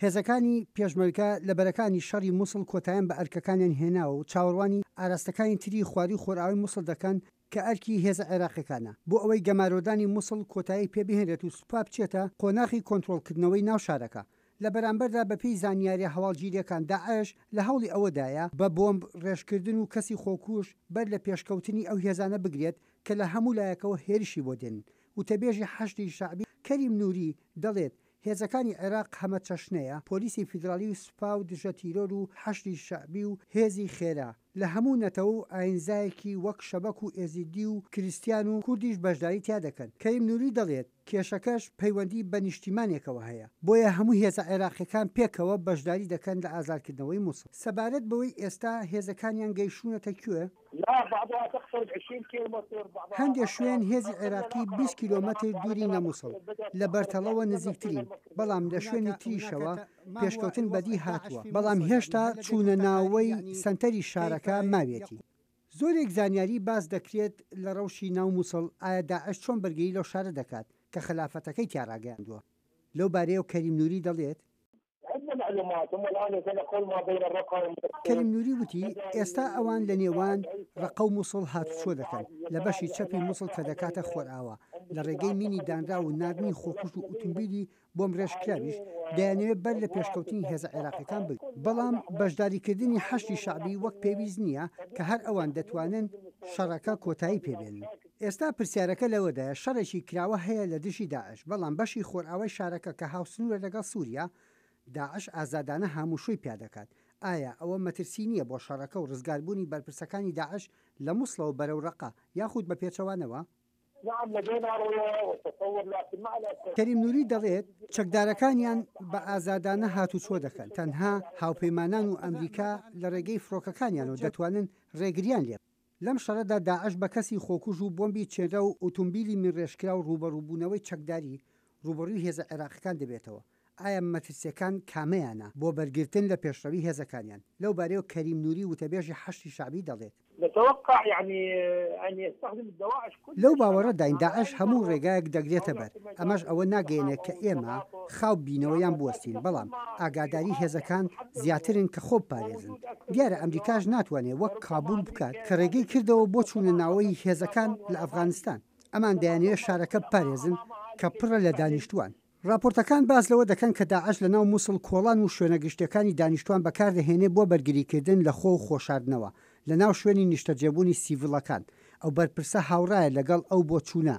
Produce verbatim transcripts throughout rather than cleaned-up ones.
هێزەکانی پێشمەرگە لە بەرەکانی شەڕی موسڵ کۆتایان بە ئەرکەکانیان هێناوە و چاوەڕوانی ئاراستەکانی تری خوارووی خۆرئاوای موسڵ دەکەن کە ئەرکی هێزە عێراقیەکانە بۆ ئەوەی گەمارۆدانی موسڵ کۆتایی پێبهێنرێت و سوپا بچێتە قۆناغی کۆنترۆڵکردنەوەی ناو شارەکە. لە بەرامبەردا بەپێی زانیاریە هەواڵگیریەکان داعش لە هەوڵی ئەوەدایە بە بۆمب ڕێژکردن و کەسی خۆکوژ بەر لە پێشکەوتنی ئەو هێزانە بگرێت کە لە هەموو لایەکەوە هێرشی بۆ دێنن. وتەبێژی حەشدی شەعبی کەریم نوری دەڵێت هێزەکانی عێراق هەمەچەشنەیە، پۆلیسی فیدراڵی و سوپا و دژە تیرۆر و حەشدی شەعبی و هێزی خێرا، لە هەموو نەتەوە و ئاینزایەکی وەک شەبەک و ئێزیدی و کریستیان و کوردیش بەشداری تیا دەکەن. کەریم نوری دەڵێت کێشەکەش پەیوەندی بە نیشتیمانێکەوە هەیە، بۆیە هەموو هێزە عێراقیەکان پێکەوە بەشداری دەکەن لە ئازادکردنەوەی موسڵ. سەبارەت بەوەی ئێستا هێزەکانیان گەیشتوونەتە کوێ؟ هەندێ شوێن هێزی عێراقی بیست کیلۆمەتر دوورین لە موسڵ، لە بەرتەڵەوە نزیکترین، بەڵام لە شوێنی تریشەوە پێشکەوتن بەدی هاتووە، بەڵام هێشتا چوونە ناوەی سەنتەری شارەکە ماویەتی. زۆرێک زانیاری باس دەکرێت لە ڕەوشی ناو موسڵ، ئایا داعش چۆن بەرگری لەو شارە دەکات کە خەلافەتەکەی تیا ڕاگەیاندووە؟ لەو بارەیەوە کەریم نوری دەڵێت، کەریم نوری وتی، ئێستا ئەوان لە نێوان ڕەقە و موسڵ هاتوچۆ دەکەن، لە بەشی چەپی موسڵ کە دەکاتە خۆرئاوا، لە ڕێگەی مینی دانراو و ناردنی خۆکوژ و ئوتومبیلی بۆمبڕێژکراویش دەیانەوێت بەر لە پێشکەوتنی هێزە عێراقیەکان بگرن، بەڵام بەشداریکردنی حەشدی شەعبی وەک پێویست نییە کە هەر ئەوان دەتوانن شەڕەکە کۆتایی پێبێنن. ئێستا پرسیارەکە لەوەدایە شەڕێکی کراوە هەیە لە دژی داعش، بەڵام بەشی خۆرئاوای شارەکە کە هاوسنوورە لەگەڵ سوریا، داعش ئازادانە هاموشۆی پیا دەکات، ئایا ئەوە مەترسی نییە بۆ شەڕەکە و ڕزگاربوونی بەرپرسەکانی داعش لە موسڵەوە بەرەو ڕەقە یاخود بە پێچەوانەوە؟ کەریم نوری دەڵێت، چەکدارەکانیان بە ئازادانە هاتوچۆ دەکەن، تەنها هاوپەیمانان و ئەمریکا لە ڕێگەی فڕۆکەکانیانەوە دەتوانن ڕێگریان لێ لەم شەڕەدا داعش بە کەسی خۆکوژ و بۆمبی چێنراو و ئوتومبیلی مینڕێژکراو ڕووبەڕووبوونەوەی چەکداری ڕووبەڕووی هێزە عێراقیەکان دەبێتەوە، ئایا مەترسیەکان کامەیانە بۆ بەرگرتن لە پێشڕەوی هێزەکانیان؟ لەو بارەیەوە کەریم نوری وتەبێژی حەشدی شەعبی دەڵێت. لەو باوەڕەداین داعش هەموو ڕێگایەک دەگرێتە بەر، ئەمەش ئەوە ناگەیەنێت کە ئێمە خاو ببینەوە یان بوەستین، بەڵام ئاگاداری هێزەکان زیاترن کە خۆ بپارێزن. دیارە ئەمریکاش ناتوانێت وەک کابول بکات کە ڕێگەی کردەوە بۆ چوونە ناوەی هێزەکان لە ئەفغانستان. ئەمان دەیانەوێت شارەکە بپارێزن کە پڕە لە دانیشتووان. ڕاپۆرتەکان باس لەوە دەکەن کە داعش لەناو موسڵ کۆڵان و شوێنە گشتیەکانی دانیشتوان بەکاردەهێنێ بۆ بەرگریکردن لە خۆ و خۆشاردنەوە لەناو شوێنی نیشتەجێبوونی سیڤڵەکان، ئەو بەرپرسە هاوڕایە لەگەڵ ئەو بۆچوونە.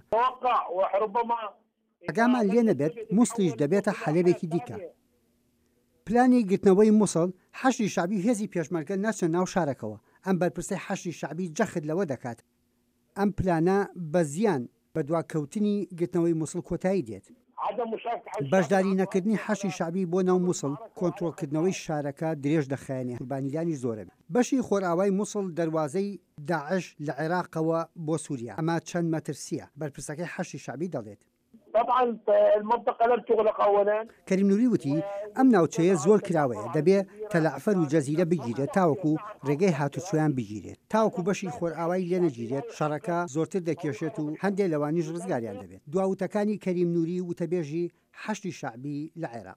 ئاگامان لێ نەبێت موسڵیش دەبێتە حەلەبێکی دیکە. پلانی گرتنەوەی موسڵ، حەشدی شەعبی و هێزی پێشمەرگە ناچنە ناو شارەکەوە، ئەم بەرپرسەی حەشدی شەعبی جەخت لەوە دەکات، ئەم پلانە بە زیان بە دواکەوتنی گرتنەوەی موسڵ کۆتایی دێت. بەشداری نەکردنی حەشدی شەعبی بۆ ناو موسڵ، کۆنترۆڵکردنەوەی شارەکە درێژ دەخایەنێ، قوربانیدانیش زۆرە. بەشی خۆرئاوای موسڵ دەروازەی داعش لە عێراقەوە بۆ سوریا، ئەمە چەند مەترسییە، بەرپرسەکەی حەشدی شەعبی دەڵێت. کەریم نوری وتی، ئەم ناوچەیە زۆر کراوەیە، دەبێ تەلەعفەر و جەزیرە بگیرێت تاوەکو رێگەی هاتوچۆیان بگیرێت، تاوەکو بەشی خۆرئاوای لێنەگیرێت شەڕەکە زۆرتر دەکێشێت و هەندێ لەوانیش رزگاریان دەبێت. دوا وتەکانی کەریم نوری وتەبێژی حەشدی شەعبی لە عێراق.